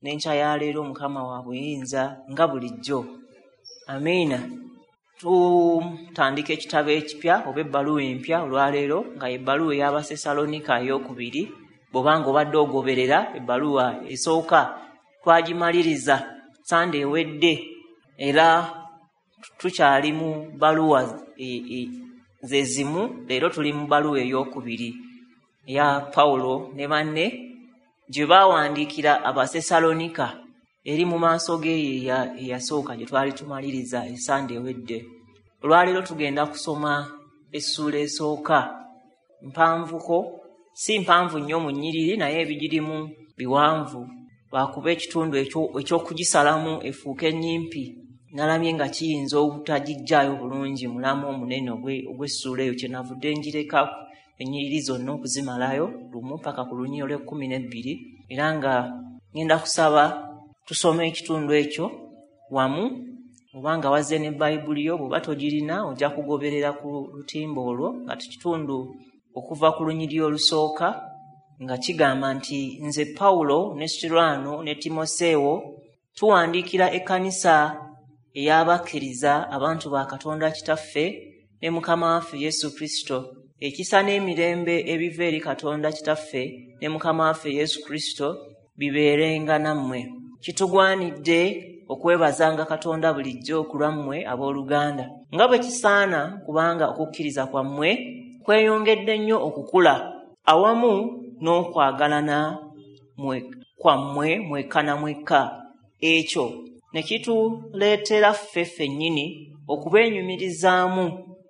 N'enkya ya leero Mukama wa buyinza nga bulijjo. Amiina. Tutandika ekitabo ekipya oba ebbaluwa empya olwaleero, nga ebbaluwa ey'Abasesalonika ey'okubiri. Bw'obanga obadde ogoberera ebbaluwa esooka twagimaliriza Sande ewedde, era tukyali mu bbaluwa ze zimu. Leero tuli mu bbaluwa ey'okubiri eya Pawulo ne banne gye baawandiikira Abasesalonika, eri mu maaso g'eyo eyasooka gye twali tumaliriza esande ewedde. Olwaleero tugenda kusoma essuula esooka, mpanvuko, si mpanvu nnyo mu nnyiriri, naye ebigirimu biwanvu, lwakuba ekitundu eky'okugisalamu efuuke nnyimpi nalabye nga kiyinza obutagijjaayo bulungi mulamu omunene ogw'essuula eyo. Kyenavudde njireka ennyiriri zonna okuzimalayo lumu paka ku lunyiriri olw'ekkumi n'ebbiri, era nga ngenda kusaba tusome ekitundu ekyo wamu. Obanga wazze ne Bayibuli yo, bw'oba togirina ojja kugoberera ku lutimba olwo, nga kitundu okuva ku lunyiriri olusooka, nga kigamba nti: "Nze Pawulo ne Sirwano ne Timoseewo tuwandiikira ekkanisa ey'abakkiriza, abantu ba Katonda Kitaffe ne Mukama waffe Yesu Kristo. Ekisa n'emirembe ebiva eri Katonda Kitaffe ne Mukama waffe Yesu Kristo bibeerenga nammwe. Kitugwanidde okwebazanga Katonda bulijjo ku lwammwe, abooluganda, nga bwe kisaana, kubanga okukkiriza kwammwe kweyongedde nnyo okukula, awamu n'okwagalana kwammwe mwekka na mwekka. Ekyo ne kituleetera ffe ffennyini okubeenyumirizaamu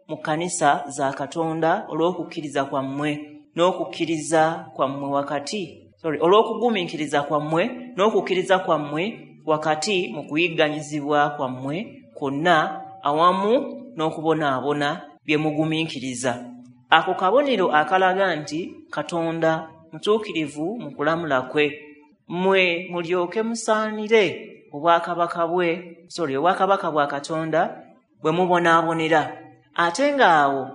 mu kkanisa za Katonda olw'okukkiriza kwammwe n'okukkiriza kwammwe wakati, sorry, olw'okugumiikiriza kwammwe n'okukkiriza kwammwe wakati mu kuyigganyizibwa kwammwe kwonna awamu n'okubonaabona bye mugumiikiriza. Ako kabonero akalaga nti Katonda mutuukirivu mu kulamula kwe, mmwe mulyoke musaanire obwakabaka bwe, sorry, obwakabaka bwa Katonda bwe mubonaabonera. Ate ng'awo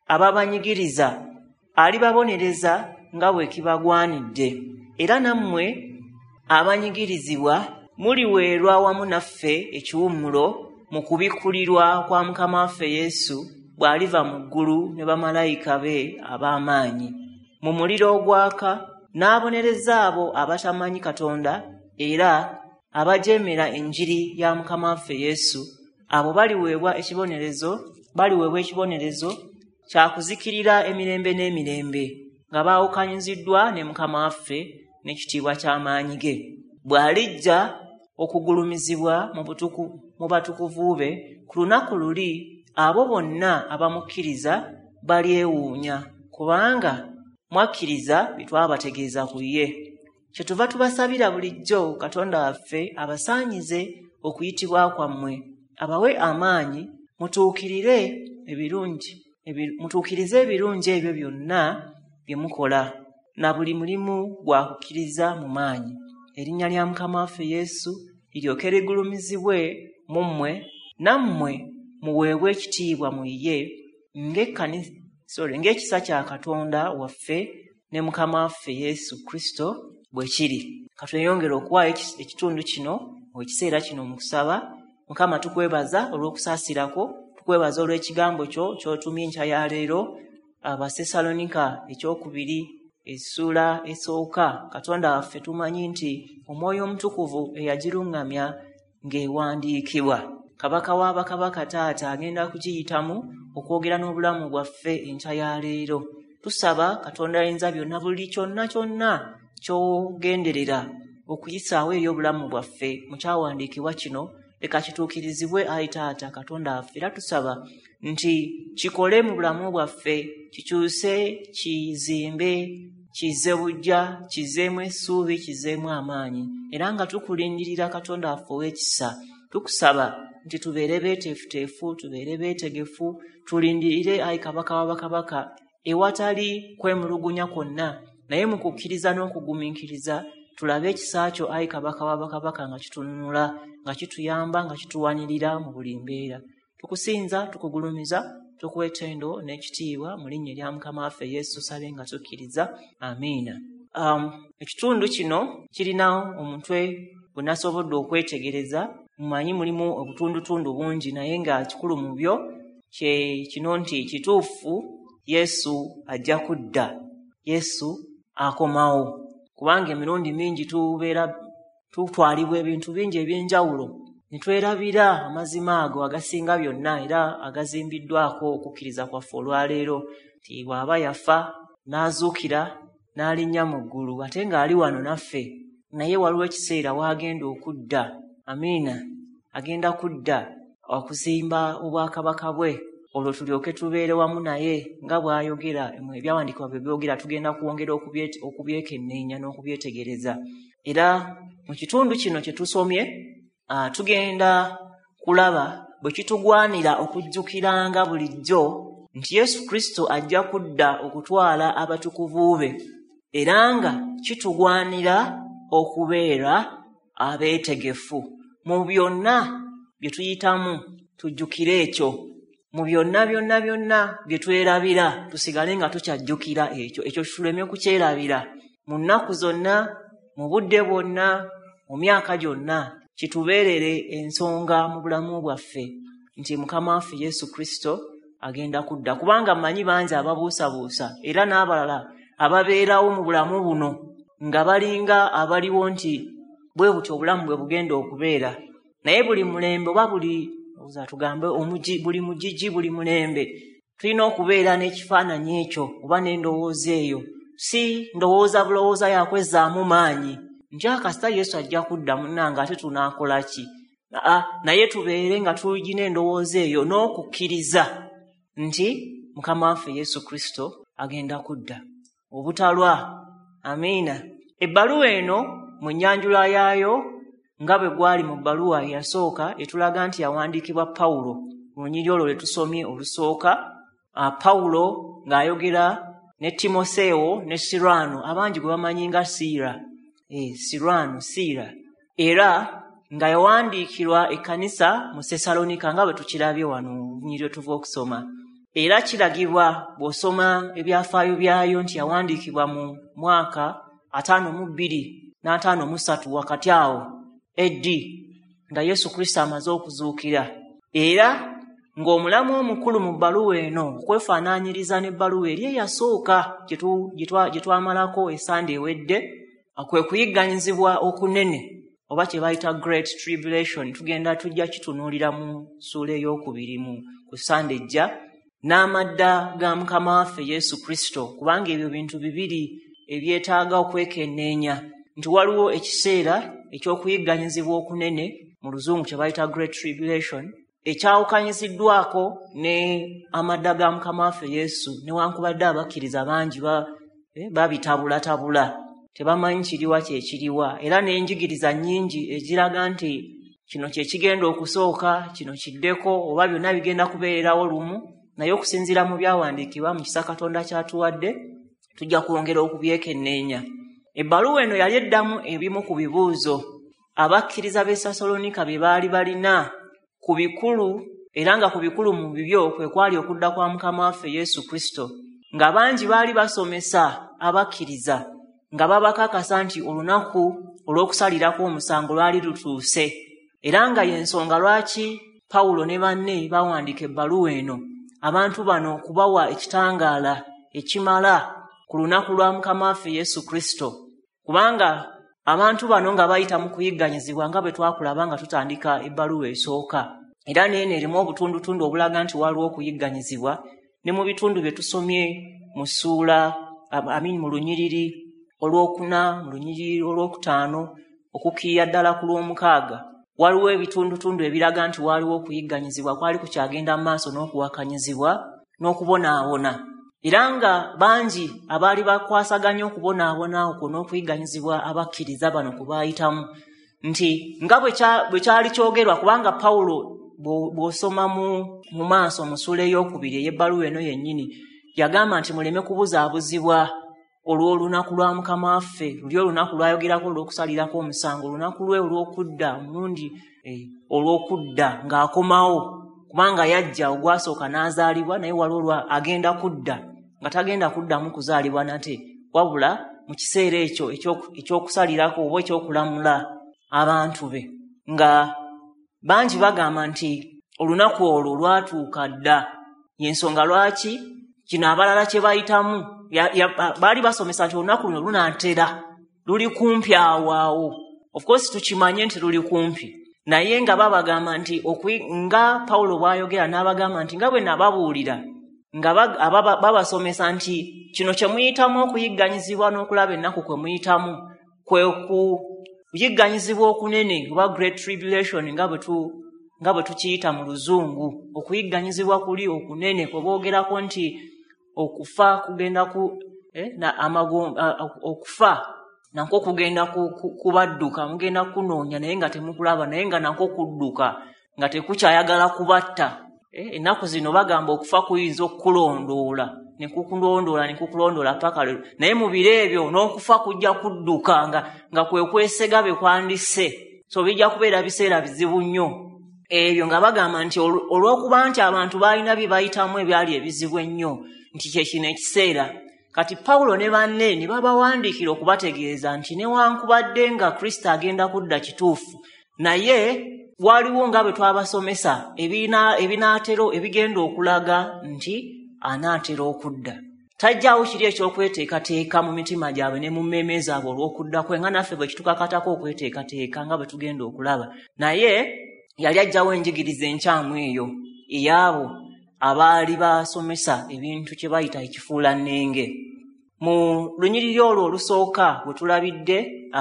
ababanyigiriza alibabonereza nga bwe kibagwanidde, era nammwe abanyigirizibwa muliweerwa wamu naffe ekiwummulo mu kubikkulirwa kwa Mukama waffe Yesu bw'aliva mu ggulu ne bamalayika be ab'amaanyi mu muliro ogwaka, n'abonereza abo abatamanyi Katonda era abajeemera enjiri ya Mukama waffe Yesu. Abo baliweebwa ekibonerezo kya kuzikirira emirembe n'emirembe, nga baawukanyiziddwa ne Mukama waffe n'ekitiibwa ky'amaanyi ge, bw'alijja okugulumizibwa mu batukuvu be. Ku lunaku luli abo bonna abamukkiriza balyewuunya, kubanga mwakkiriza bye twabategeeza ku ye. Kyetuva tubasabira bulijjo Katonda waffe abasaanyize okuyitibwa kwammwe, abawe amaanyi mutuukirize ebirungi ebyo byonna bye mukola na buli mulimu gwa kukkiriza mu maanyi, erinnya lya Mukama waffe Yesu liryoke ligulumizibwe mu mmwe, nammwe muweebwe ekitiibwa mu ye, ng'ekisa kya Katonda waffe ne Mukama waffe Yesu Kristo bwe kiri." Katweyongere okuwaayo ekitundu kino, ekiseera kino, mu kusaba. Mukama, tukwebaza olw'okusaasirako, tukwebaza olw'ekigambo kyo ky'otumye enkya ya leero, Abasesalonika ekyokubiri essuula esooka. Katonda waffe, tumanyi nti Omwoyo Omutukuvu eyagiruŋŋamya ng'ewandiikibwa, Kabaka w'abakabaka Taata agenda kugiyitamu okwogera n'obulamu bwaffe enkya ya leero. Tusaba, Katonda ayinza byonna, buli kyonna kyonna ky'ogenderera okuyisaawo eri obulamu bwaffe mu kyawandiikibwa kino, leka kituukirizibwe, ayi Taata Katonda waffe. Era tusaba nti kikole mu bulamu bwaffe, kikyuse, kizimbe, kizze bujja, kizzeemu essuubi, kizzeemu amaanyi. Era nga tukulindirira, Katonda waffe ow'ekisa, tukusaba nti tubeere beeteefuteefu, tubeere beetegefu, tulindirire, ayi Kabaka w'abakabaka, ewatali kwemulugunya kwonna, naye mu kukkiriza n'okugumiikiriza tulabe ekisa kyo, ayi Kabaka w'abakabaka, nga kitununula, nga kituyamba, nga kituwanirira mu buli mbeera. Tukusinza, tukugulumiza, tukuwa ettendo n'ekitiibwa mu linnya erya Mukama waffe Yesu. Sabe nga tukkiriza, amiina. Ekitundu kino kirina omutwe gwe nasobodde okwetegereza. Mumanyi mulimu obutundutundu bungi, naye nga kikulu mu byo kye kino nti kituufu Yesu ajja kudda, Yesu akomawo. Kubanga emirundi mingi tubeera tutwalibwa ebintu bingi eby'enjawulo ne twerabira amazima ago agasinga byonna era agazimbiddwako okukkiriza kwaffe olwaleero, nti bw'aba yafa n'azuukira n'alinnya mu ggulu ate ng'ali wano naffe, naye waliwo ekiseera w'agenda okudda. Amiina. Agenda kudda okuzimba obwakabaka bwe, olwo tulyoke tubeere wamu naye nga bw'ayogera. Ebyawandiikibwa bwe byogera tugenda kwongera okubyekenneenya n'okubyetegereza. Era mu kitundu kino kye tusomye, tugenda kulaba bwe kitugwanira okujjukiranga bulijjo nti Yesu Kristo ajja kudda okutwala abatukuvu be, era nga kitugwanira okubeera abeetegefu mu byonna bye tuyitamu. Tujjukire ekyo mu byonna byonna byonna bye twerabira, tusigale nga tukyajjukira ekyo, ekyo tuleme kukyerabira mu nnaku zonna, mu budde bwonna, mu myaka gyonna, kitubeerere ensonga mu bulamu bwaffe nti Mukama waffe Yesu Kristo agenda kudda. Kubanga mmanyi bangi ababuusabuusa era n'abalala ababeerawo mu bulamu buno nga balinga abaliwo nti bwe butyo obulamu bwe bugenda okubeera, naye buli mulembe oba buli tugambe buli mugigi, buli mulembe tulina okubeera n'ekifaananyi ekyo oba n'endowooza eyo. Si ndowooza bulowooza yakwezzaamu maanyi nti akasita Yesu ajja kudda munnange ate tunaakola ki? Naye tubeere nga tulina endowooza eyo n'okukkiriza nti Mukama waffe Yesu Kristo agenda kudda obutalwa. Amiina. Ebbaluwa eno mu nnyanjula yaayo nga bwe gwali mu bbaluwa eyasooka etulaga nti yawandiikibwa Pawulo. Mu lunyiriri olwo lwe tusomye olusooka, Pawulo ng'ayogera ne Timoseewo ne Sirwano, abangi gwe bamanyi nga Siira, Sirwano, Siira, era nga yawandiikirwa ekkanisa mu Sesalonika nga bwe tukirabye wano olunyiriri lwe tuva okusoma. Era kiragibwa bw'osoma ebyafaayo byayo nti yawandiikibwa mu mwaka 52 na 53 wakati awo AD, nga Yesu Kristo amaze okuzuukira. Era ng'omulamu omukulu mu bbaluwa eno okwefaanaanyiriza n'ebbaluwa eri eyasooka gye twamalako esande ewedde, kwe kuyigganyizibwa okunene oba kye bayita Great Tribulation. Tugenda tujja kitunuulira mu ssuula ey'okubiri mu ku Sande ejja, n'amadda ga Mukama waffe Yesu Kristo, kubanga ebyo bintu bibiri ebyetaaga okwekenneenya nti waliwo ekiseera eky'okuyigganyizibwa okunene, mu Luzungu kye bayita Great Tribulation, ekyawukanyiziddwako ne amadda ga Mukama waffe Yesu. Newankubadde abakkiriza bangi babitabulatabula, tebamanyi kiriwa kyekiriwa, era n'enjigiriza nnyingi eziraga nti kino kye kigenda okusooka, kino kiddeko, oba byonna bigenda kubeererawo lumu. Naye okusinziira mu byawandiikibwa mu kisa Katonda kyatuwadde, tujja kwongera okubyekenneenya. Ebbaluwa eno yali eddamu ebimu ku bibuuzo abakkiriza b'e Sesalonika bye baali balina ku bikulu, era nga ku bikulu mu bibyo kwe kwali okudda kwa Mukama waffe Yesu Kristo, nga bangi baali basomesa abakkiriza nga babakakasa nti olunaku olw'okusalirako omusango lwali lutuuse, era nga y'ensonga lwaki Pawulo ne banne bawandiika ebbaluwa eno abantu bano okubawa ekitangaala ekimala ku lunaku lwa Mukama waffe Yesu Kristo. Kubanga abantu bano nga bayita mu kuyigganyizibwa nga bwe twakulaba nga tutandika ebbaluwa esooka, era n'eno erimu obutundutundu obulaga nti waliwo okuyigganyizibwa, ne mu bitundu bye tusomye mu ssuula, mu lunyiriri olwokuna, mu lunyiriri olwokutaano, okukkirira ddala ku lw'omukaaga, waliwo ebitundutundu ebiraga nti waliwo okuyigganyizibwa kwali kukyagenda mu maaso n'okuwakanyizibwa n'okubonaabona. Era nga bangi abaali bakwasaganya okubonaabona okwo n'okuyigganyizibwa abakkiriza bano ku baayitamu, nti nga bwe kyali kyogerwa, kubanga Pawulo bw'osoma mu maaso mu ssuula ey'okubiri ey'ebbaluwa eno yennyini, yagamba nti muleme kubuzaabuzibwa olw'olunaku lwa Mukama waffe, luli olunaku lw'ayogerako olw'okusalirako omusango, olunaku lwe olw'okudda, omulundi olw'okudda ng'akomawo, kubanga yajja ogwasooka n'azaalibwa, naye waliwo agenda kudda nga tagenda kuddamu kuzaalibwa nate, wabula mu kiseera ekyo eky'okusalirako oba ekyokulamula abantu be. Nga bangi bagamba nti olunaku olwo lwatuuka dda, y'ensonga lwaki kino abalala kye bayitamu baali basomesa nti olunaku luno lunaatera, luli kumpi awo awo. Of course tukimanye nti luli kumpi, naye nga babagamba nti nga Pawulo bw'ayogera n'abagamba nti nga bwe nababuulira, nga babasomesa nti kino kye muyitamu okuyigganyizibwa n'okulaba ennaku kwe muyitamu kwe kuyigganyizibwa okunene oba Great Tribulation nga bwe tukiyita mu Luzungu. Okuyigganyizibwa kuli okunene kwe boogerako nti okufa kugenda okufa nakwo kugenda kubadduka, mugenda kunoonya naye nga temukulaba, naye nga nakwo kudduka nga tekukyayagala kubatta. Ennaku zino bagamba okufa kuyinza okukulondoola ne kukulondoola ne kukulondoola paka leero, naye mu biro ebyo n'okufa kujja kudduka nga kwe kwesega be kwandise. So bijja kubeera biseera bizibu nnyo ebyo, nga bagamba nti olw'okuba nti abantu baalina bye bayitamu ebyali ebizibu ennyo, nti kye kino ekiseera. Kati Pawulo ne banne ne babawandiikira okubategeeza nti newankubadde nga Kristo agenda kudda kituufu, naye waliwo nga bwe twabasomesa ebinaatero ebigenda okulaga nti anaatera okudda. Tajjaawo kiri eky'okweteekateeka mu mitima gyabwe ne mu mmeeme zaabwe olw'okudda kwe, nga naffe bwe kitukakatako okweteekateeka nga bwe tugenda okulaba. Naye yali ajjawo enjigiriza enkyamu eyo ey'abo abaali basomesa ebintu kye bayita ekifuulannenge. Mu lunyiriri olwo olusooka bwe tulabidde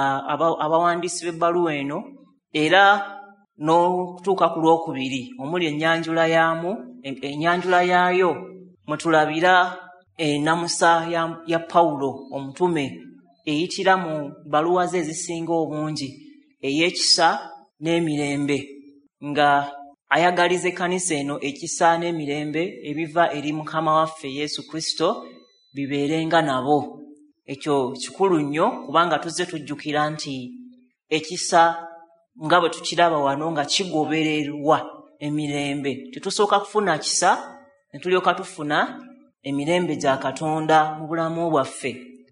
abawandiisi b'ebbaluwa eno, era n'okutuuka ku lwokubiri omuli ennyanjula yaayo mwe tulabira ennamusa ya Pawulo omutume eyitira mu bbaluwa ze ezisinga obungi ey'ekisa n'emirembe, nga ayagaliza ekkanisa eno ekisa n'emirembe ebiva eri Mukama waffe Yesu Kristo bibeerenga nabo. Ekyo kikulu nnyo kubanga tuzze tujjukira nti ekisa nga bwe tukiraba wano nga kigobererwa emirembe. Tetusooka kufuna kisa ne tulyoka tufuna emirembe gya Katonda mu bulamu bwaffe.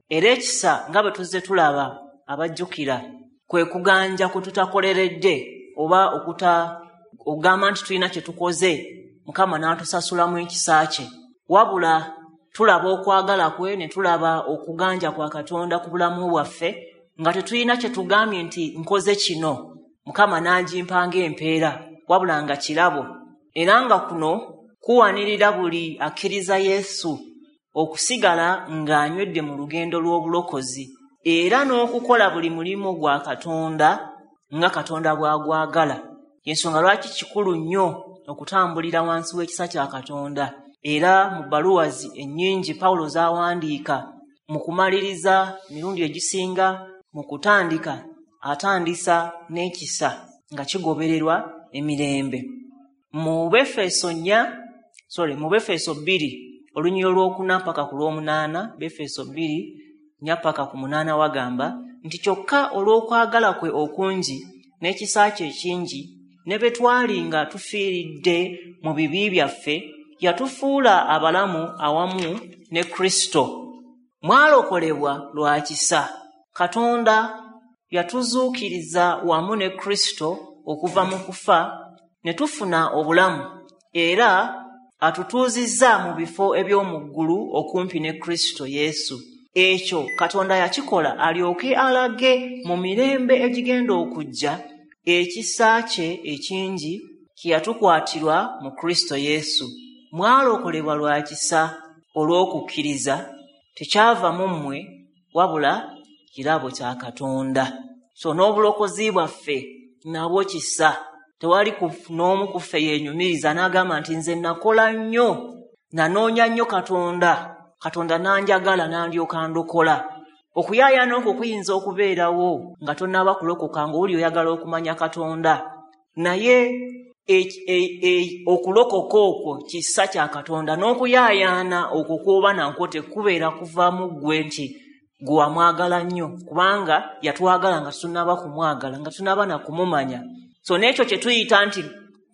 Era ekisa nga bwe tuzze tulaba abajjukira kwe kuganja kwe tutakoleredde oba okugamba nti tulina kye tukoze Mukama n'atusasulamu ekisa kye, wabula tulaba okwagala kwe ne tulaba okuganja kwa Katonda ku bulamu bwaffe nga tetulina kye tugambye nti nkoze kino Mukama n'agimpa ng'empeera, wabula nga kirabo. Era nga kuno kuwanirira buli akkiriza Yesu okusigala ng'anywedde mu lugendo lw'obulokozi era n'okukola buli mulimu gwa Katonda nga Katonda bw'agwagala. Ensonga lwaki kikulu nnyo okutambulira wansi w'ekisa kya Katonda. Era mu bbaluwa ennyingi Pawulo z'awandiika mu kumaliriza emirundi egisinga mu kutandika atandisa n'ekisa nga kigobererwa emirembe. Mu Befeso 2 olunyiriri olwokuna mpaka ku lw'omunaana, Befeso 2:4 mpaka ku 8 wagamba nti kyokka olw'okwagala kwe okungi n'ekisa kye ekingi ne bwe twali nga tufiiridde mu bibi byaffe, yatufuula abalamu awamu ne Kristo. Mwalokolebwa lwa kisa. Katonda yatuzuukiriza wamu ne Kristo okuva mu kufa ne tufuna obulamu, era atutuuzizza mu bifo eby'omu ggulu okumpi ne Kristo Yesu. Ekyo Katonda yakikola alyoke alage mu mirembe egigenda okujja ekisa kye ekingi kye yatukwatirwa mu Kristo Yesu. Mwalokolebwa lwa kisa olw'okukkiriza, tekyava mu mmwe wabula kirabo kya Katonda. So n'obulokozi bwaffe nabwo kisa. Tewali n'omu ku ffe yeenyumiriza n'agamba nti nze nakola nnyo, nanoonya nnyo Katonda, Katonda n'anjagala n'andyoka ndokola. Okuyaayaana okwo kuyinza okubeerawo nga tonnaba kulokoka ng'oli oyagala okumanya Katonda, naye okulokoka okwo kisa kya Katonda, n'okuyaayaana okwo kw'oba nakwo tekubeera kuva mu ggwe nti gwe wamwagala nnyo, kubanga yatwagala nga tunnaba kumwagala, nga tunnaba na kumumanya. So n'ekyo kye tuyita nti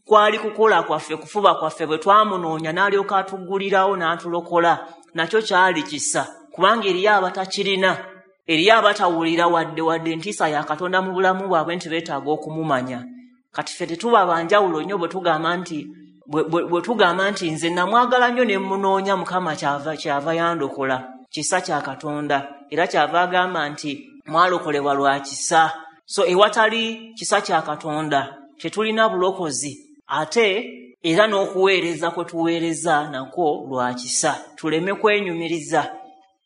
kwali kukola kwaffe, kufuba kwaffe, bwe twamunoonya n'alyoka atuggulirawo n'atulokola, nakyo kyali kisa, kubanga eriyo abatakirina. Eriyo abatawulira wadde entiisa ya Katonda mu bulamu bwabwe nti beetaaga okumumanya. Kati ffe tetuba banjawulo nnyo bwe tugamba nti nze namwagala nnyo ne mmunoonya, Mukama kyava yandokola. Kisa kya Katonda, era kyava agamba nti mwalokolebwa lwa kisa. So ewatali kisa kya Katonda tetulina bulokozi, ate era n'okuweereza kwe tuweereza nakwo lwa kisa. Tuleme kwenyumiriza,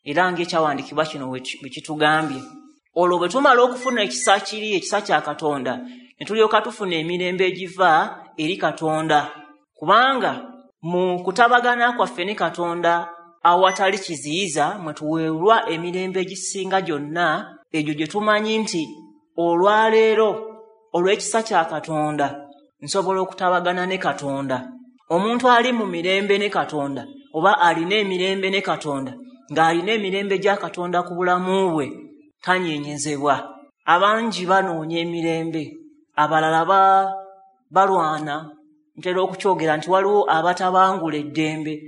era ng'ekyawandiikibwa kino bwe kitugambye. Olwo bwe tumala okufuna ekisa kiri, ekisa kya Katonda, ne tulyoka tufuna emirembe egiva eri Katonda, kubanga mu kutabagana kwaffe ne Katonda awatali kiziyiza mwe tuweerwa emirembe egisinga gyonna, egyo gye tumanyi nti olwaleero olw'ekisa kya Katonda nsobola okutabagana ne Katonda. Omuntu ali mu mirembe ne Katonda, oba alina emirembe ne Katonda, ng'alina emirembe gya Katonda ku bulamu bwe, tanyenyezebwa. Abangi banoonya emirembe, abalala balwana. Ntera okukyogera nti waliwo abatabangula eddembe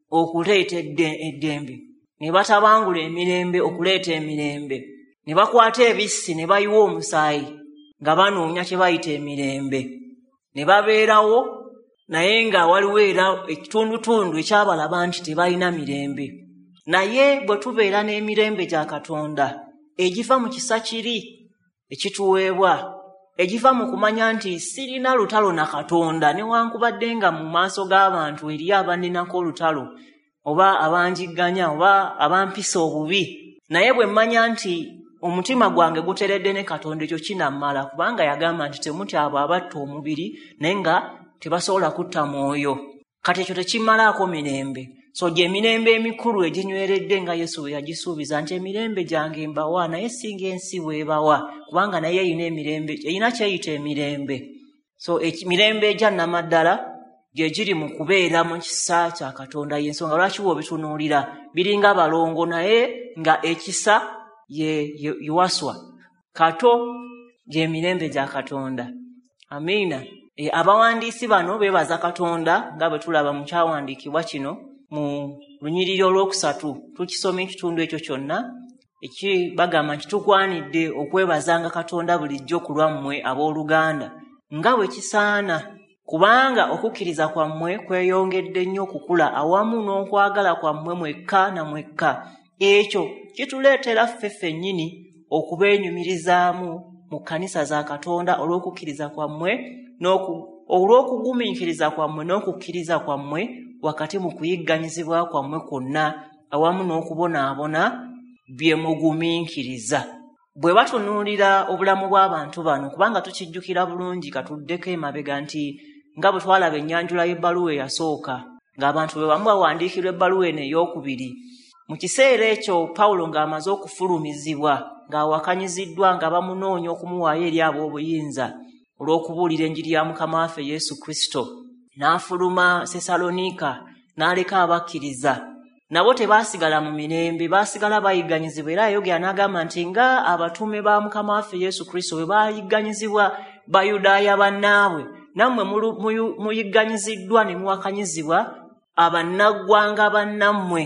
okuleeta eddembe, ne batabangula emirembe okuleeta emirembe, ne bakwata ebissi ne bayiwa omusaayi nga banoonya kye bayita emirembe, ne babeerawo naye nga waliwo era ekitundutundu ekyabalaba nti tebalina mirembe. Naye bwe tubeera n'emirembe gya Katonda egiva mu kisa kiri ekituweebwa, egiva mu kumanya nti sirina lutalo na Katonda, newankubadde nga mu maaso g'abantu eriyo abanninako olutalo oba abanjigganya oba abampisa obubi, naye bwe mmanya nti omutima gwange guteredde ne Katonda, ekyo kinammala, kubanga yagamba nti temutya abo abatta omubiri naye nga tebasobola kutta mwoyo. Kati ekyo tekimalaako mirembe. So gye emirembe emikulu eginyweredde nga Yesu bwe yagisuubiza nti emirembe gyange mbawa, naye singa ensi bw'ebawa, kubanga naye erina emirembe, erina kyeyita emirembe. So emirembe egya nnamaddala gye giri mu kubeera mu kisa kya Katonda. Y'ensonga lwaki bw'obitunuulira biringa balongo, naye nga ekisa ye waswa kato gy'emirembe gya Katonda. Amiina. Abawandiisi bano beebaza Katonda nga bwe tulaba mu kyawandiikibwa kino mu lunyiriri olwokusatu. Tukisoma ekitundu ekyo kyonna bagamba nti tukwanidde okwebazanga Katonda bulijjo ku lwammwe abooluganda nga bwe kisaana, kubanga okukkiriza kwammwe kweyongedde nnyo okukula awamu n'okwagala kwammwe mwekka na mwekka. Ekyo kituleetera ffe ffennyini okubeenyumirizaamu mu kkanisa za Katonda olw'okukkiriza kwammwe olw'okugumiikiriza kwammwe n'okukkiriza kwammwe wakati mu kuyigganyizibwa kwammwe kwonna awamu n'okubonaabona bye mugumiikiriza. Bwe batunuulira obulamu bw'abantu bano, kubanga tukijjukira bulungi, katuddeko emabega nti nga bwe twalaba ennyanjula y'ebbaluwa eyasooka, ng'abantu bwe bamu bawandiikirwa ebbaluwa eno ey'okubiri. Mu kiseera ekyo Pawulo ng'amaze okufulumizibwa, ng'awakanyiziddwa, nga bamunoonya okumuwaayo eri ab'obuyinza olw'okubuulira enjiri ya Mukama waffe Yesu Kristo, n'afuluma Sessaloniika n'aleka abakkiriza. Nabo tebaasigala mu mirembe, baasigala bayigganyizibwa. Era yayogera n'agamba nti nga abatume ba Mukama waffe Yesu Kristo bwe baayigganyizibwa Bayudaaya bannaabwe, nammwe muyigganyiziddwa ne muwakanyizibwa abannaggwanga bannammwe,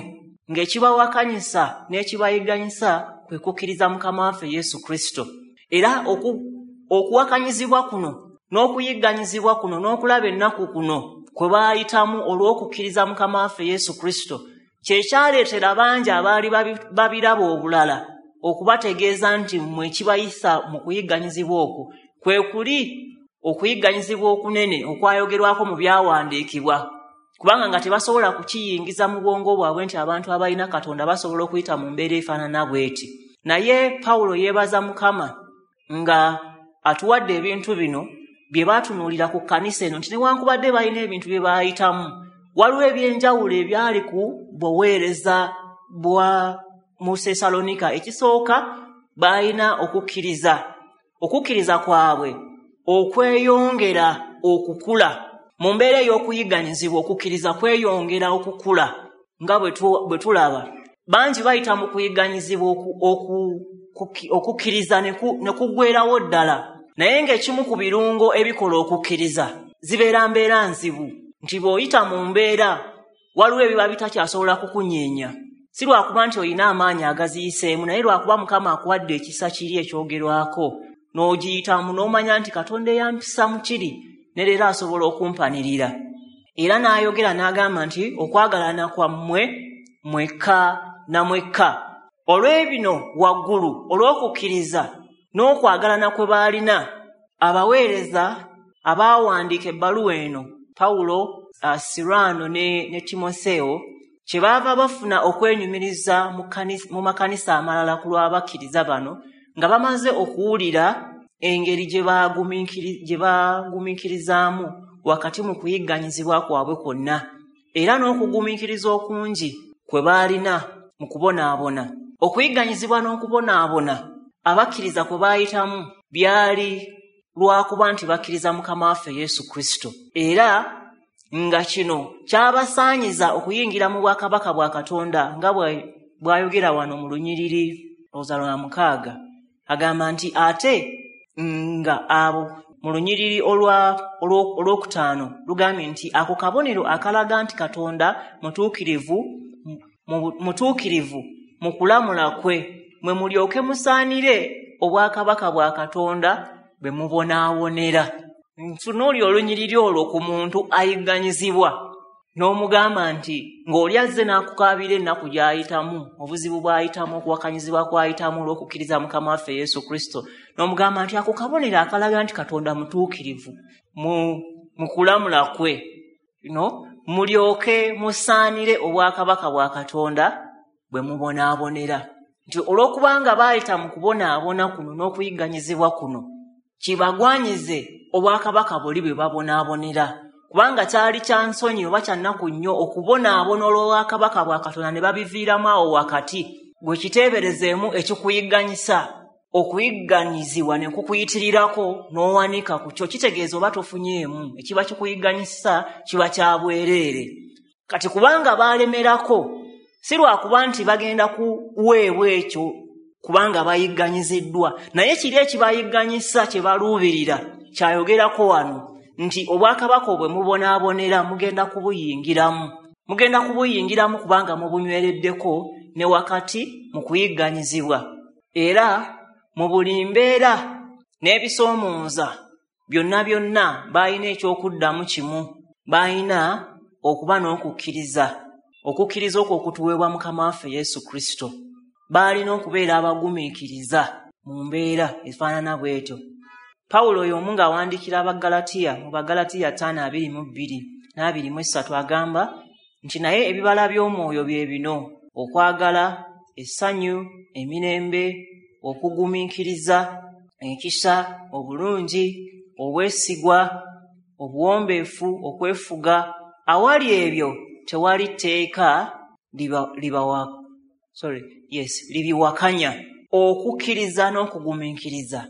ng'ekibawakanyisa n'ekibayigganyisa kwe kukkiriza Mukama waffe Yesu Kristo. Era okuwakanyizibwa kuno n'okuyigganyizibwa kuno n'okulaba ennaku kuno kwe baayitamu olw'okukkiriza Mukama waffe Yesu Kristo kye kyaleetera bangi abaali babiraba obulala okubategeeza nti mmwe ekibayisa mu kuyigganyizibwa okwo kwe kuli okuyigganyizibwa okunene okwayogerwako mu byawandiikibwa, kubanga nga tebasobola kukiyingiza mu bwongo bwabwe nti abantu abalina Katonda basobola okuyita mu mbeera efaanana bw'eti. Naye Pawulo yeebaza Mukama nga atuwadde ebintu bino bye baatunuulira ku kkanisa eno nti newankubadde balina ebintu bye baayitamu, waliwo ebyenjawulo ebyali ku buweereza bwa mu Sessaloniika. Ekisooka, baalina okukkiriza, okukkiriza kwabwe okweyongera okukula mu mbeera ey'okuyigganyizibwa. Okukkiriza kweyongera okukula nga bwe tulaba bangi bayita mu kuyigganyizibwa okukkiriza ne kuggweerawo ddala, naye ng'ekimu ku birungo ebikola okukkiriza zibeera mbeera nzibu, nti bw'oyita mu mbeera waliwo ebiba bitakyasobola kukunyeenya. Si lwakuba nti olina amaanyi agaziyiseemu, naye lwakuba Mukama akuwadde ekisa kiri ekyogerwako n'ogiyitamu, n'omanya nti Katonda eyampisa mu kiri ne leero asobola okumpanirira. Era n'ayogera n'agamba nti okwagalana kwammwe mwekka na mwekka. Olw'ebino waggulu, olw'okukkiriza n'okwagalana kwe baalina, abaweereza abaawandiika ebbaluwa eno, Pawulo, Sirwano ne Timoseewo, kyebaava bafuna okwenyumiriza mu makanisa amalala ku lw'abakkiriza bano, nga bamaze okuwulira engeri gye baagumiikirizaamu wakati mu kuyigganyizibwa kwabwe kwonna, era n'okugumiikiriza okungi kwe baalina mu kubonaabona. Okuyigganyizibwa n'okubonaabona abakkiriza kwe baayitamu byali lwakuba nti bakkiriza Mukama waffe Yesu Kristo, era nga kino kyabasaanyiza okuyingira mu bwakabaka bwa Katonda, nga bw'ayogera wano mu lunyiriri olowooza lwa 6. Agamba nti ate nga abo mu lunyiriri olwokutaano lugambye nti ako kabonero akalaga nti Katonda mutuukirivu mu kulamula kwe, mwe mulyoke musaanire obwakabaka bwa Katonda bwe mubonaabonera. Ntunuulira olunyiriri olwo ku muntu ayigganyizibwa n'omugamba nti ng'oli azze n'akukaabira ennaku gy'ayitamu, obuzibu bw'ayitamu, okuwakanyizibwa kw'ayitamu olw'okukkiriza Mukama waffe Yesu Kristo, n'omugamba nti ako kabonero akalaga nti Katonda mutuukirivu mu kulamula kwe, no mulyoke musaanire obwakabaka bwa Katonda bwe mubonaabonera. Nti olw'okubanga baayita mu kubonaabona kuno n'okuyigganyizibwa kuno, kibagwanyize obwakabaka buli bwe babonaabonera. Kubanga kyali kya nsonyi oba kya nnaku nnyo okubonaabona olw'obwakabaka bwa Katonda ne babiviiramu awo wakati. Gwe kiteeberezeemu ekikuyigganyisa, okuyigganyizibwa ne kukuyitirirako n'owanika ku kyo, kitegeeza oba tofunyeemu, ekiba kikuyigganyisa kiba kya bwereere. Kati kubanga baalemerako, si lwakuba nti bagenda kuweebwa ekyo kubanga bayigganyiziddwa, naye kiri ekibayigganyisa kye baluubirira kyayogerako wano nti obwakabaka bwe mubonaabonera mugenda kubuyingiramu. Mugenda kubuyingiramu kubanga mubunywereddeko ne wakati mu kuyigganyizibwa. Era mu buli mbeera n'ebisoomooza byonna byonna baalina ekyokuddamu kimu, baalina okuba n'okukkiriza, okukkiriza okwo okutuweebwa Mukama waffe Yesu Kristo. Baalina okubeera abagumiikiriza mu mbeera efaanana bw'etyo. Pawulo y'omu ng'awandiikira Abaggalatiya mu Baggalatiya 5:22 n'23 agamba nti naye ebibala by'omwoyo bye bino: okwagala, essanyu, emirembe, okugumiikiriza, ekisa, obulungi, obwesigwa, obuwombeefu, okwefuga. Awali ebyo tewali tteeka libiwakanya. Okukkiriza n'okugumiikiriza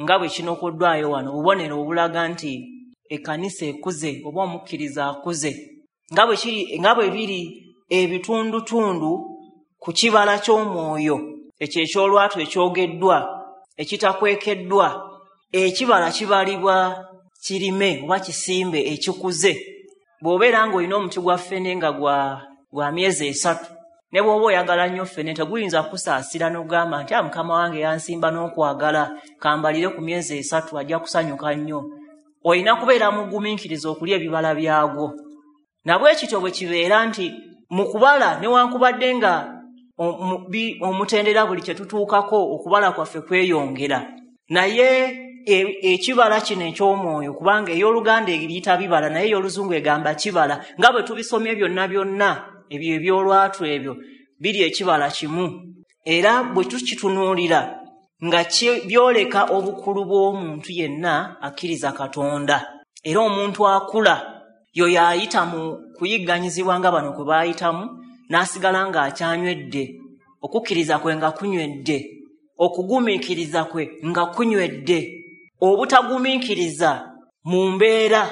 nga bwe kinokoddwayo wano, obubonero obulaga nti ekkanisa ekuze oba omukkiriza akuze, nga bwe biri ebitundutundu ku kibala ky'omwoyo ekyo eky'olwatu ekyogeddwa ekitakwekeddwa. Ekibala kibalibwa kirime oba kisimbe ekikuze. Bw'obeera ng'olina omuti gwa ffene nga gwa myezi 3, ne bw'oba oyagala nnyo ffene teguyinza kusaasira n'ogamba nti Mukama wange yansimba n'okwagala, kambalire ku myezi 3 ajja kusanyuka nnyo. Olina kubeera mugumiikiriza okulya ebibala byagwo. Nabwe kityo bwe kibeera nti mu kubala, newankubadde nga omutendera buli kye tutuukako okubala kwaffe kweyongera, naye ekibala kino eky'omwoyo, kubanga ey'Oluganda eriyita bibala naye ey'Oluzungu egamba kibala, nga bwe tubisomye byonna byonna ebyo eby'olwatu ebyo biri ekibala kimu. Era bwe tukitunuulira nga byoleka obukulu bw'omuntu yenna akkiriza Katonda. Era omuntu akula yoyo ayita mu kuyigganyizibwa nga bano kwe baayitamu, n'asigala ng'akyanywedde, okukkiriza kwe nga kunywedde, okugumiikiriza kwe nga kunywedde. Obutagumiikiriza mu mbeera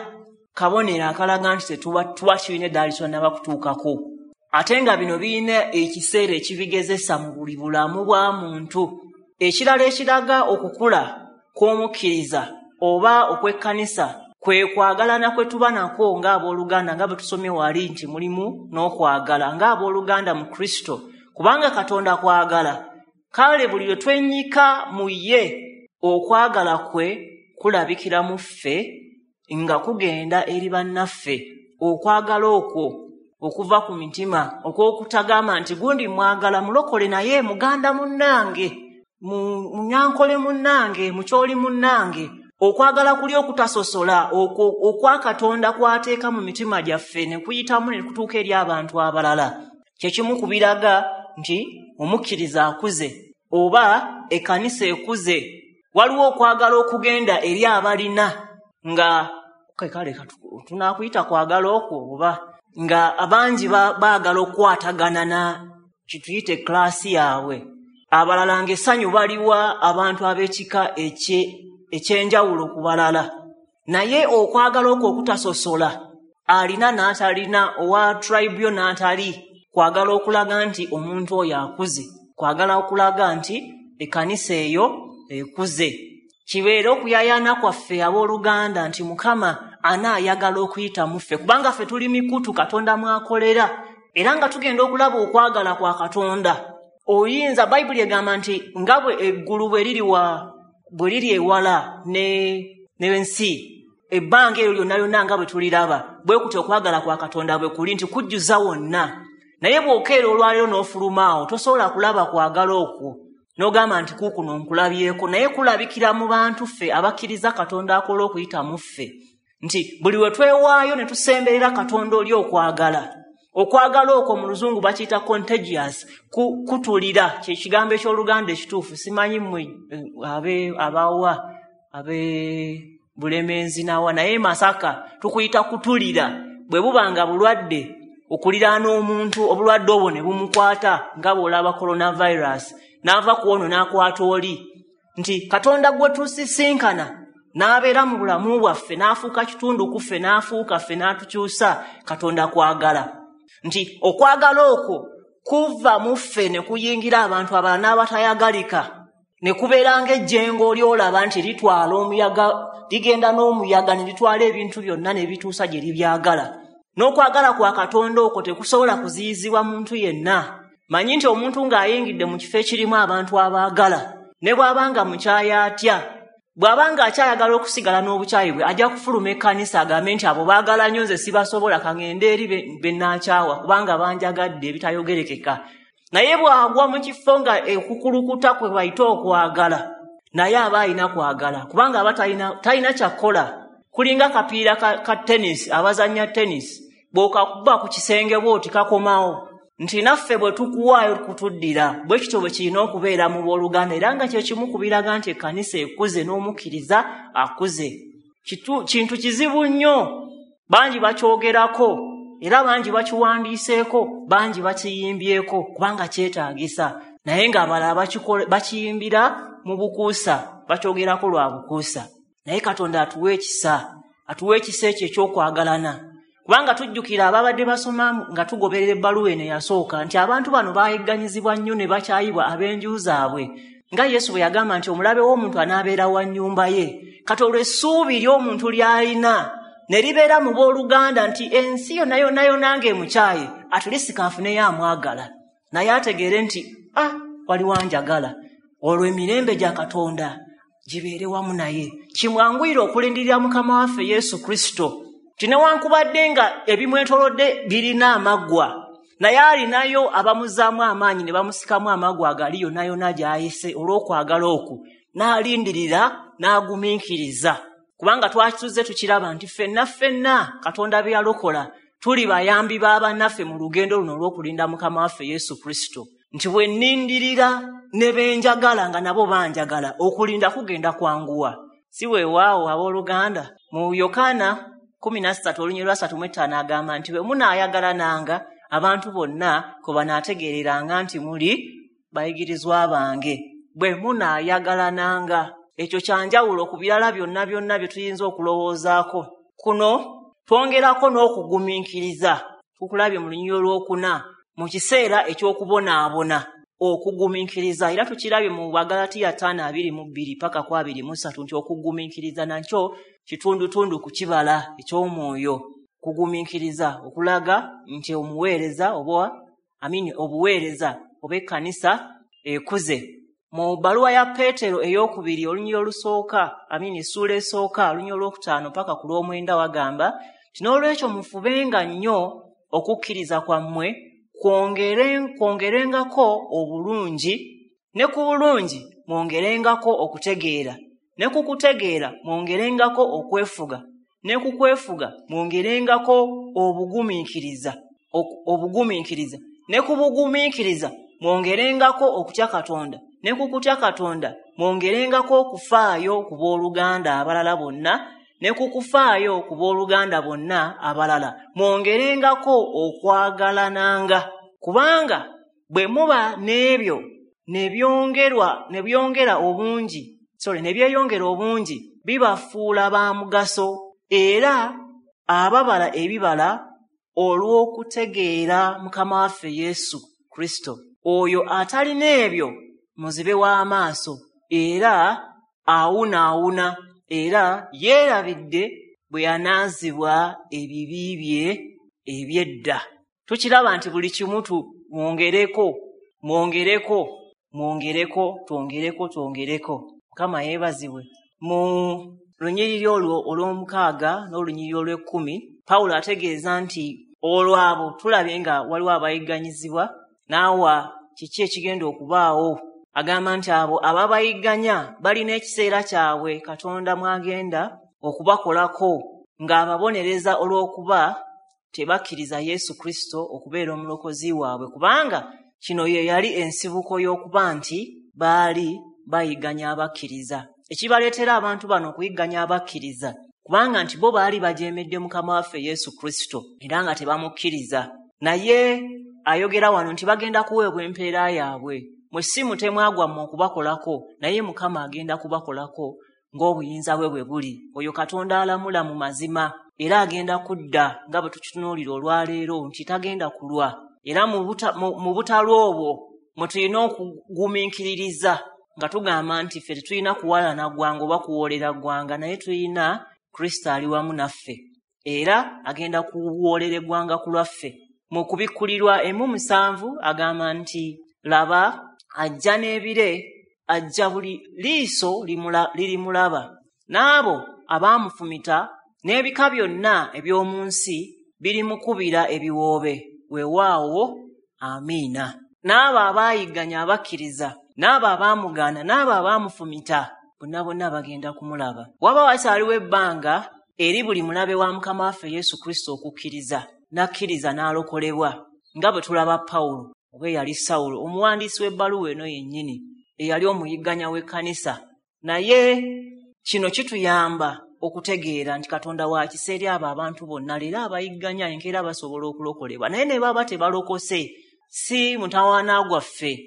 kabonero akalaga nti tuba tulina eddaala lyonna bakutuukako. Ate nga bino birina ekiseera ekibigezesa mu buli bulamu bwa muntu. Ekirala ekiraga okukula kw'omukkiriza oba okw'ekkanisa kwe kwagalana kwe tuba nakwo ng'abooluganda, nga bwe tusomye wali nti mulimu n'okwagala ng'abooluganda mu Kristo. Kubanga Katonda kwagala, kale buli lwe twenyika mu ye, okwagala kwe kulabikira mu ffe nga kugenda eri bannaffe. Okwagala okwo okuva ku mitima, okw'okutagamba nti gundi mwagala mulokole naye muganda munnange, munyankole munnange, mukyoli munnange. Okwagala kuli okutasosola okwa Katonda kwateeka mu mitima gyaffe ne kuyitamu ne kutuuka eri abantu abalala, kyekimu ku biraga nti omukkiriza akuze oba ekkanisa ekuze. Waliwo okwagala okugenda eri abalina nga kale tunaakuyita kwagala okwo, oba nga abangi baagala okukwatagana na kituyite klaasi yaabwe. Abalala ng'essanyu baliwa abantu ab'ekika ekyenjawulo ku balala. Naye okwagala okwo okutasosola, alina n'atalina, owa tribe yo n'atali, kwagala okulaga nti omuntu oyo akuze, kwagala okulaga nti ekkanisa eyo ekuze. Kibeere okuyayaana kwaffe abooluganda nti Mukama anaayagala okuyita mu ffe, kubanga ffe tuli mikutu Katonda mwakolera, era nga tugenda okulaba okwagala kwa Katonda. Oyinza, Bayibuli egamba nti nga bwe eggulu bwe liri ewala n'ensi, ebbanga eryo lyonna lyonna nga bwe tuliraba, bwe kutyo okwagala kwa Katonda bwe kuli nti kujjuza wonna. Naye bw'okeera olwaleero n'ofuluma awo, tosobola kulaba kwagala okwo n'ogamba nti kuukuno nkulabyeko, naye kulabikira mu bantu ffe abakkiriza Katonda akola okuyita mu ffe, nti buli we twewaayo ne tusemberera Katonda oli okwagala. Okwagala okwo mu Luzungu bakiyita contagious, kutulira, kye kigambo eky'Oluganda ekituufu. Simanyi mmwe abawa abe Bulemeezi nawa, naye Masaka tukuyita kutulira. Bwe buba nga bulwadde, okuliraana omuntu obulwadde obwo ne bumukwata nga bw'olaba coronavirus, n'ava ku ono n'akwata oli. Nti Katonda gwe tusisinkana n'abeera mu bulamu bwaffe, n'afuuka kitundu ku ffe, n'afuuka ffe, n'atukyusa. Katonda kwagala. Nti okwagala okwo kuva mu ffe ne kuyingira abantu abalala n'abatayagalika, ne kubeera ng'ejjengo ly'olaba nti litwala omuyaga, ligenda n'omuyaga ne litwala ebintu byonna ne bituusa gye libyagala. N'okwagala kwa Katonda okwo tekusobola kuziyizibwa muntu yenna. Manyi nti omuntu ng'ayingidde mu kifo ekirimu abantu abaagala, ne bw'aba nga mukyayi atya, bw'aba nga akyayagala okusigala n'obukyayi bwe, ajja kufuluma ekkanisa agambe nti abo baagala nnyo nze sibasobola, kaŋŋende eri be nnaakyawa kubanga banjagadde ebitayogerekeka. Naye bw'agwa mu kifo nga ekukulukuta kwe bayita okwagala, naye aba alina kwagala, kubanga aba talina kyakkola. Kulinga kapiira ka tennis, abazannya tennis, bw'okakuba ku kisenge bw'oti kakomawo. Nti naffe bwe tukuwaayo kutuddira, bwe kityo bwe kirina okubeera mu booluganda, era nga kye kimu ku biraga nti ekkanisa ekuze n'omukkiriza akuze. Kintu kizibu nnyo, bangi bakyogerako, era bangi bakiwandiiseeko, bangi bakiyimbyeko, kubanga kyetaagisa. Naye ng'abalala bakiyimbira mu bukuusa, bakyogerako lwa bukuusa. Naye Katonda atuwa ekisa, atuwa ekisa ekyo eky'okwagalana. Kubanga tujjukira ababadde basoma nga tugoberera ebbaluwa eno eyasooka nti abantu bano baayigganyizibwa nnyo ne bakyayibwa ab'enju zaabwe, nga Yesu bwe yagamba nti omulabe w'omuntu anaabeera wa nnyumba ye. Kati olwo essuubi ly'omuntu ly'alina ne libeera mu booluganda nti ensi yonna yonna yonna ng'emukyaye, atulisika afuneyo amwagala, naye ategeere nti waliwo anjagala. Olwo emirembe gya Katonda gibeere wamu naye. Kimwanguyire okulindirira Mukama waffe Yesu Kristo, nti newankubadde nga ebimwetoolodde birina amaggwa, naye alinayo abamuzzaamu amaanyi ne bamusikamu amaggwa agali yonna yonna gy'ayise olw'okwagala okwo, n'alindirira n'agumiikiriza. Kubanga twakituze tukiraba nti ffenna ffenna Katonda bye yalokola tuli bayambi ba bannaffe mu lugendo luno olw'okulinda Mukama waffe Yesu Kristo. Nti bwe nnindirira ne benjagala nga nabo banjagala, okulinda kugenda kwanguwa. Si weewaawo abooluganda, mu Yokaana 13:35 agamba nti bwe munaayagalananga abantu bonna kwe banaategeereranga nti muli bayigirizwa bange. Bwe munaayagalananga, ekyo kyanjawulo ku birala byonna byonna bye tuyinza okulowoozaako. Kuno twongerako n'okugumiikiriza, tukulabye mu lunyiriri olwokuna, mu kiseera eky'okubonaabona, okugumiikiriza. Era tukirabye mu Bagalatiya 5:22 paka ku 23 nti okugumiikiriza nakyo kitundutundu ku kibala eky'omwoyo. Kugumiikiriza okulaga nti omuweereza oba obuweereza oba ekkanisa ekuze. Mu bbaluwa ya Peetero ey'okubiri olunyiriri olusooka, essuula esooka olunyiriri olwokutaano paka ku lw'omwenda wagamba nti n'olwekyo mufubenga nnyo okukkiriza kwammwe kwongerengako obulungi, ne ku bulungi mwongerengako okutegeera, ne ku kutegeera mwongerengako okwefuga, ne ku kwefuga mwongerengako obugumiikiriza, ne ku bugumiikiriza mwongerengako okutya Katonda, ne ku kutya Katonda mwongerengako okufaayo ku booluganda abalala bonna, ne ku kufaayo ku booluganda bonna abalala mwongerengako okwagalananga, kubanga bwe muba n'ebyo ne byeyongera obungi bibafuula ba mugaso era ababala ebibala olw'okutegeera Mukama waffe Yesu Kristo. Oyo atalina ebyo muzibe w'amaaso era awunaawuna era yeerabidde bwe yanaazibwa ebibi bye eby'edda. Tukiraba nti buli kimu mwongereko, mwongereko, mwongereko, twongereko, twongereko. Mukama yeebazibwe. Mu lunyiriri olwo olw'omukaaga n'olunyiriri olw'ekkumi, Pawulo ategeeza nti olwabo tulabye nga waliwo abayigganyizibwa, n'awa kiki ekigenda okubaawo. Agamba nti abo ababayigganya balina ekiseera kyabwe Katonda mw'agenda okubakolako ng'ababonereza olw'okuba tebakkiriza Yesu Kristo okubeera omulokozi waabwe, kubanga kino ye yali ensibuko y'okuba nti baali bayigganya abakkiriza. Ekibaleetera abantu bano okuyigganya abakkiriza kubanga nti bo baali bajeemedde Mukama waffe Yesu Kristo era nga tebamukkiriza. Naye ayogera wano nti bagenda kuweebwa empeera yaabwe. Mwe si mutemwa gwammwe okubakolako, naye Mukama agenda kubakolako ng'obuyinza bwe bwe buli. Oyo Katonda alamula mu mazima era agenda kudda nga bwe tukitunuulira olwaleero nti tagenda kulwa. Era mu butalwa obwo mwe tulina okugumiikiririza nga tugamba nti ffe tetulina kuwalana ggwanga oba kuwoolera ggwanga, naye tulina Kristo ali wamu naffe era agenda kuwoolera eggwanga ku lwaffe. Mu kubikkulirwa 1:7 agamba nti laba ajja n'ebire, ajja buli liiso lirimulaba, n'abo abaamufumita n'ebika byonna eby'omu nsi birimukubira ebiwoobe. Weewaawo, amiina. N'abo abaayigganya abakkiriza, n'abo abaamugaana, n'abo abaamufumita, bonna bonna bagenda kumulaba. Waba wakyaliwo ebbanga eri buli mulabe wa Mukama waffe Yesu Kristo okukkiriza, n'akkiriza n'alokolebwa, nga bwe tulaba Pawulo oba eyali Sawulo, omuwandiisi w'ebbaluwa eno yennyini eyali omuyigganya w'ekkanisa. Naye kino kituyamba okutegeera nti Katonda wa kisa eri abo abantu bonna, leero abayigganya enkeera basobola okulokolebwa. Naye ne baba tebalokose, si mutawaana gwaffe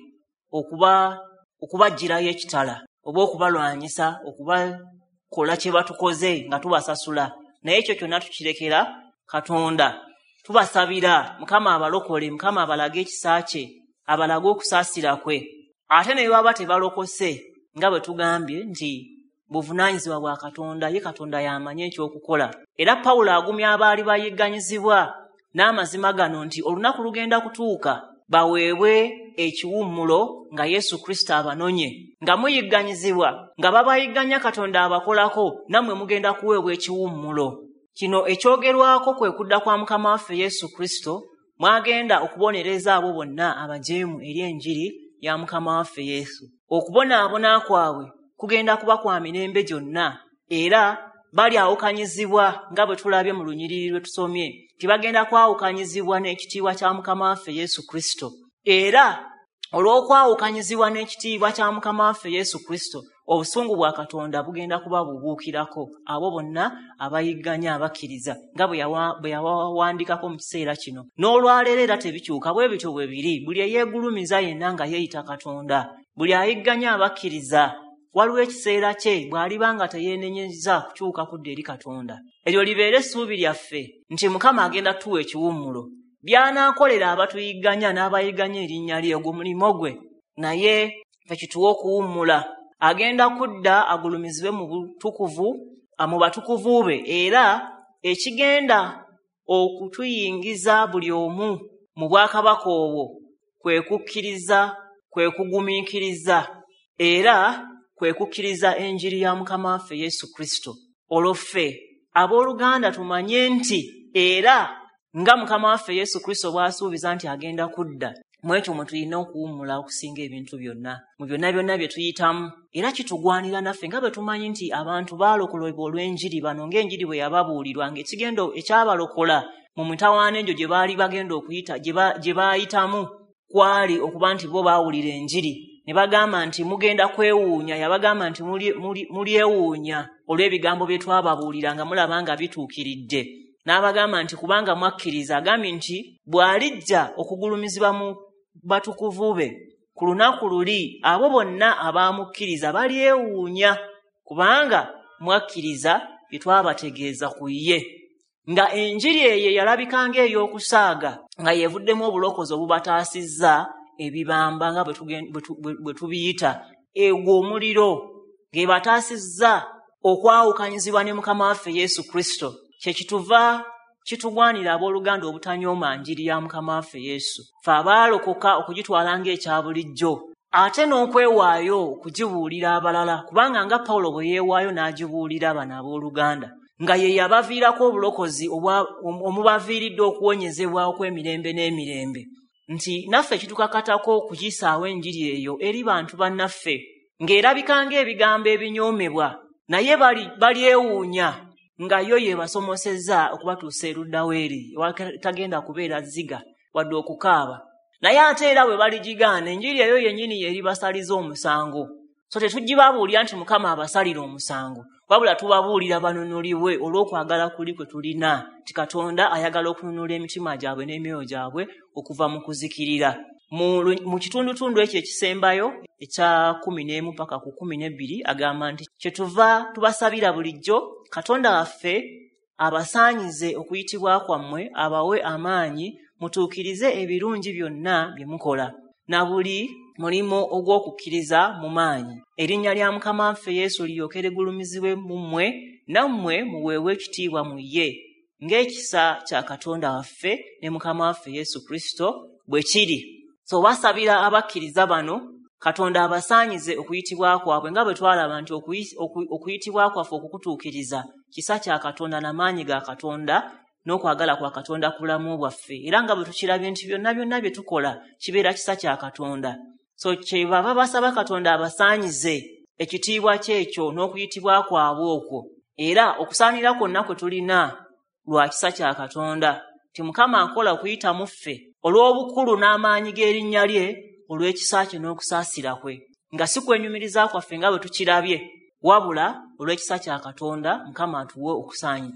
okubaggyirayo ekitala oba okubalwanyisa, okubakola kye batukoze nga tubasasula. Naye ekyo kyonna tukirekera Katonda. Tubasabira Mukama abalokole, Mukama abalage ekisa kye, abalage okusaasira kwe. Ate ne baba tebalokose, nga bwe tugambye nti buvunaanyizibwa bwa Katonda, ye Katonda y'amanyi ekyokukola. Era Pawulo agumya abaali bayigganyizibwa n'amazima gano nti olunaku lugenda kutuuka baweebwe ekiwummulo nga Yesu Kristo abanonye. Nga muyigganyizibwa, nga babayigganya Katonda abakolako, nammwe mugenda kuweebwa ekiwummulo. Kino ekyogerwako kwe kudda kwa Mukama waffe Yesu Kristo, mwagenda okubonereza abo bonna abajeemu eri enjiri ya Mukama waffe Yesu. Okubonaabona kwabwe kugenda kuba kwa mirembe gyonna, era balyawukanyizibwa nga bwe tulabye mu lunyiriri lwe tusomye, tibagenda kwawukanyizibwa n'ekitiibwa kya Mukama waffe Yesu Kristo. Era olw'okwawukanyizibwa n'ekitiibwa kya Mukama waffe Yesu Kristo, obusungu bwa Katonda bugenda kuba bubuukirako abo bonna abayigganya abakkiriza, nga bwe yawawandiikako mu kiseera kino. N'olwaleero era tebikyuka, bwe bityo bwe biri. Buli eyeegulumiza yenna nga yeeyita Katonda, buli ayigganya abakkiriza, waliwo ekiseera kye bw'aliba nga teyeenenyezza kukyuka kudda eri Katonda. Eryo libeere essuubi lyaffe nti Mukama agenda tuwa ekiwummulo. By'anaakolera abatuyigganya n'abayigganya erinnya lye, ogwo mulimo gwe, naye ffe kituwe okuwummula. Agenda kudda agulumizibwe mu butukuvu, mu batukuvu be, era ekigenda okutuyingiza buli omu mu bwakabaka obwo kwe kukkiriza, kwe kugumiikiriza, era kwe kukkiriza enjiri ya Mukama waffe Yesu Kristo. Olwo ffe abooluganda tumanye nti era nga Mukama waffe Yesu Kristo bw'asuubiza nti agenda kudda, mu ekyo mwe tulina okuwummula okusinga ebintu byonna, mu byonna byonna bye tuyitamu. Era kitugwanira naffe nga bwe tumanyi nti abantu baalokolebwa olw'enjiri bano, ng'enjiri bwe yababuulirwa, ng'ekigendo ekyabalokola mu mitawaana egyo gye baali bagenda okuyita, gye baayitamu, kwali okuba nti bo baawulira enjiri. Ne bagamba nti mugenda kwewuunya, yabagamba nti mulyewuunya olw'ebigambo bye twababuulira nga mulaba nga bituukiridde. N'abagamba nti kubanga mwakkiriza, agambye nti bw'alijja okugulumizibwa mu batukuvu be ku lunaku luli, abo bonna abaamukkiriza balyewuunya kubanga mwakkiriza bye twabategeeza ku ye. Nga enjiri eyo yalabika ng'ey'okusaaga, nga yeevuddemu obulokozi obubataasizza ebibamba nga bwe tubiyita, egwo omuliro, ng'ebataasizza okwawukanyizibwa ne Mukama waffe Yesu Kristo. Kye kituva kitugwanira abooluganda obutanyooma njiri ya Mukama waffe Yesu, ffe abaalokoka okugitwala ng'ekya bulijjo, ate n'okwewaayo okugibuulira abalala, kubanga nga Pawulo bwe yeewaayo n'agibuulira bano abooluganda, nga ye yabaviirako obulokozi omubaviiridde okuwonyezebwa okw'emirembe n'emirembe, nti naffe kitukakatako okuyisaawo enjiri eyo eri bantu bannaffe, ng'erabika ng'ebigambo ebinyoomebwa, naye balyewuunya nga yo yebasomosezza okubatuusa eruddawo eri tagenda kubeera ziga wadde okukaaba. Naye ate era bwe baligigaana, enjiri eyo yennyini yeribasaliza omusango. So tetugibabuulira nti Mukama abasalira omusango, wabula tubabuulira banunulibwe olw'okwagala kuli kwe tulina, nti Katonda ayagala okununula emitima gyabwe n'emyoyo gyabwe okuva mu kuzikirira. Mu kitundutundu ekyo ekisembayo ekya 11 paka ku 12 agamba nti kyetuva tubasabira bulijjo Katonda waffe abasaanyize okuyitibwa kwammwe, abawe amaanyi mutuukirize ebirungi byonna bye mukola, na buli mulimu ogw'okukkiriza mu maanyi. Erinnya lya Mukama waffe Yesu liryoke ligulumizibwe mu mmwe, nammwe muweebwe ekitiibwa mu ye, ng'ekisa kya Katonda waffe ne Mukama waffe Yesu Kristo bwe kiri. So basabira abakkiriza bano Katonda abasaanyize okuyitibwa kwabwe, nga bwe twalaba nti okuyitibwa kwaffe okukutuukiriza kisa kya Katonda n'amaanyi ga Katonda n'okwagala kwa Katonda ku bulamu bwaffe, era nga bwe tukirabye nti byonna byonna bye tukola kibeera kisa kya Katonda. So kye baba basaba Katonda abasaanyize ekitiibwa kyekyo n'okuyitibwa kwabwe okwo, era okusaanira kwonna kwe tulina lwa kisa kya Katonda, nti Mukama akola okuyita mu ffe olw'obukulu n'amaanyi g'erinnya lye, olw'ekisa kye n'okusaasira kwe, nga si kwenyumiriza kwaffe nga bwe tukirabye, wabula olw'ekisa kya Katonda Mukama atuwe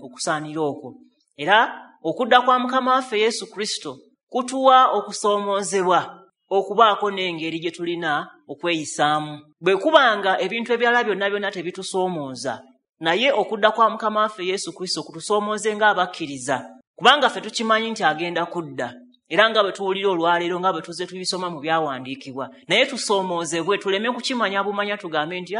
okusaanira okwo. Era okudda kwa Mukama waffe Yesu Kristo kutuwa okusoomoozebwa okubaako n'engeri gye tulina okweyisaamu. Bwe kubanga ebintu ebirala byonna byonna tebitusoomooza, naye okudda kwa Mukama waffe Yesu Kristo kutusoomooze ng'abakkiriza, kubanga ffe tukimanyi nti agenda kudda, era nga bwe tuwulira olwaleero nga bwe tuzze tubisoma mu byawandiikibwa, naye tusoomoozebwe tuleme kukimanya bumanya tugambe nti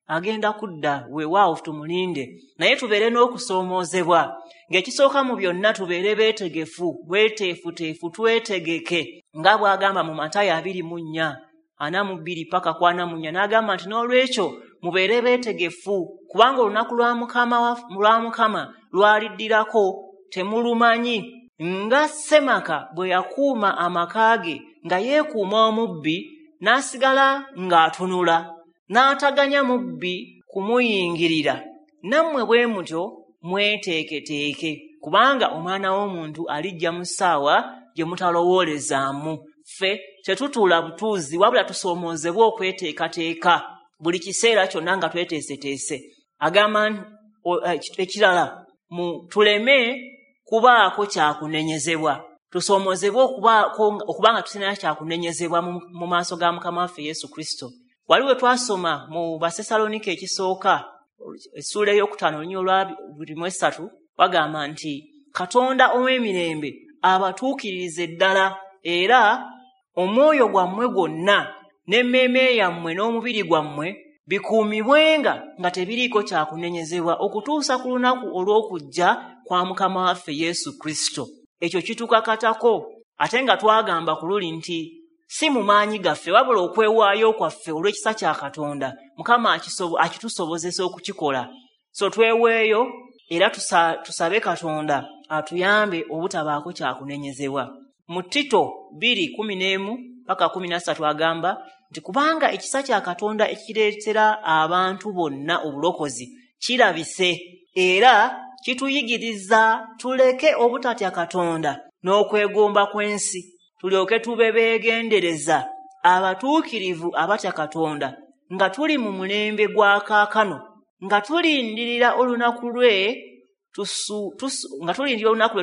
agenda kudda, weewaawo tumulinde, naye tubeere n'okusoomoozebwa ng'ekisooka mu byonna tubeere beetegefu, bweteefuteefu, twetegeke, nga bw'agamba mu Matayo 24 42 paka ku 44, n'agamba nti n'olwekyo mubeere beetegefu, kubanga olunaku lwa Mukama lwaliddirako temulumanyi. Nga Ssemaka bwe yakuuma amaka ge nga yeekuuma omubbi, n'asigala ng'atunula, n'ataganya mubbi kumuyingirira, nammwe bwe mutyo mweteeketeeke, kubanga Omwana w'Omuntu alijja mu ssaawa gye mutalowoolezaamu. Ffe tetutuula butuuzi, wabula tusoomoozebwe okweteekateeka buli kiseera kyonna nga tweteeseteese. Agamba ekirala, tuleme kubaako kyakunenyezebwa, tusoomoozebwe okuba nga tulina kyakunenyezebwa mu maaso ga Mukama waffe Yesu Kristo. Wali we twasoma mu Basessaloniika ekisooka essuula 5 olunyiriri olwa 23, bagamba nti Katonda ow'emirembe abatuukiririze ddala, era omwoyo gwammwe gwonna n'emmeeme yammwe n'omubiri gwammwe bikuumibwenga nga tebiriiko kyakunenyezebwa okutuusa ku lunaku olw'okujja kwa Mukama waffe Yesu Kristo. Ekyo kitukakatako, ate nga twagamba ku luli nti Si mu maanyi gaffe, wabula okwewaayo kwaffe olw'ekisa kya Katonda, Mukama akitusobozesa okukikola. So tweweeyo era tusabe Katonda atuyambe obutabaako kyakunenyezebwa. Mu Tito 2:11-13 agamba nti kubanga ekisa kya Katonda ekireetera abantu bonna obulokozi kirabise, era kituyigiriza tuleke obutatya Katonda n'okwegomba kw'ensi, tulyoke tube beegendereza abatuukirivu abatya Katonda, nga tuli mu mulembe gwa kaakano, nga tulindirira olunaku lwe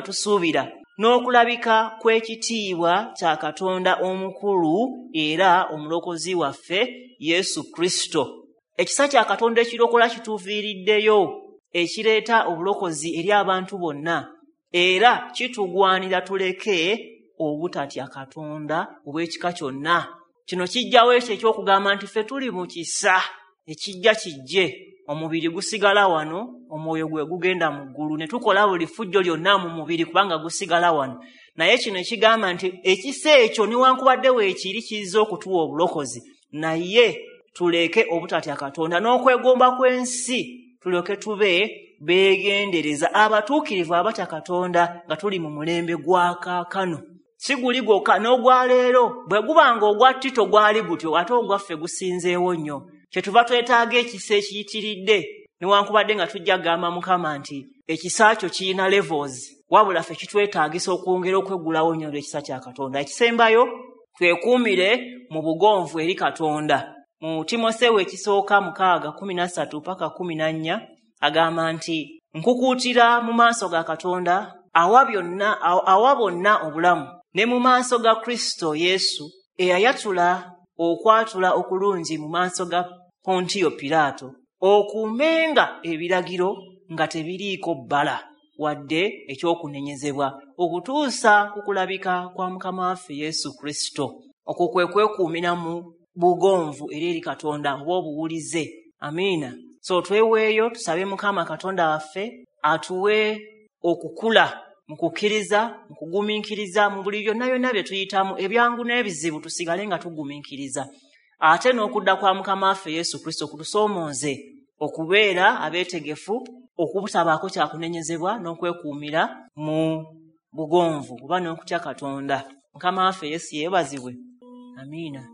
tusuubira n'okulabika kw'ekitiibwa kya Katonda omukulu era omulokozi waffe Yesu Kristo. Ekisa kya Katonda ekirokola kituviiriddeyo, ekireeta obulokozi eri abantu bonna, era kitugwanira tuleke obutatya Katonda obw'ekika kyonna. Kino kijjawo ekyo eky'okugamba nti ffe tuli mu kisa, ekijja kijje, omubiri gusigala wano, omwoyo gwe gugenda mu ggulu, ne tukola buli ffujjo lyonna mu mubiri kubanga gusigala wano. Naye kino ekigamba nti ekisa ekyo newankubadde weekiri kiyinza okutuwa obulokozi, naye tuleke obutatya Katonda n'okwegomba kw'ensi, tulyoke tube beegendereza abatuukirivu abatya Katonda nga tuli mu mulembe gwa kaakano. Si guli gwokka, n'ogwa leero bwe gubanga ogwa Tito gwali gutyo, ate ogwaffe gusinzeewo nnyo. Kyetuva twetaaga ekisa ekiyitiridde, newankubadde nga tujja kugamba Mukama nti ekisa kyo kirina levels, wabula ffe kitwetaagisa okwongera okweggulawo nnyo olw'ekisa kya Katonda. Ekisembayo, twekuumire mu bugonvu eri Katonda. Mu Timoseewo ekisooka 6:13-14 agamba nti nkukuutira mu maaso ga Katonda awa bonna obulamu, ne mu maaso ga Kristo Yesu eyayatula okwatula okulungi mu maaso ga Pontiyo Piraato, okuumenga ebiragiro nga tebiriiko bbala wadde ekyokunenyezebwa, okutuusa ku kulabika kwa Mukama waffe Yesu Kristo. Okwo kwe kwekuumira mu bugonvu eri Katonda oba obuwulize. Amiina. So tweweeyo tusabe Mukama Katonda waffe atuwe okukula mu kukkiriza, mu kugumiikiriza, mu buli byonna byonna bye tuyitamu, ebyangu n'ebizibu, tusigale nga tugumiikiriza. Ate n'okudda kwa Mukama waffe Yesu Kristo kutusoomooze okubeera abeetegefu, okubutabaako kyakunenyezebwa n'okwekuumira mu bugonvu oba n'okutya Katonda. Mukama waffe Yesu yeebazibwe. Amiina.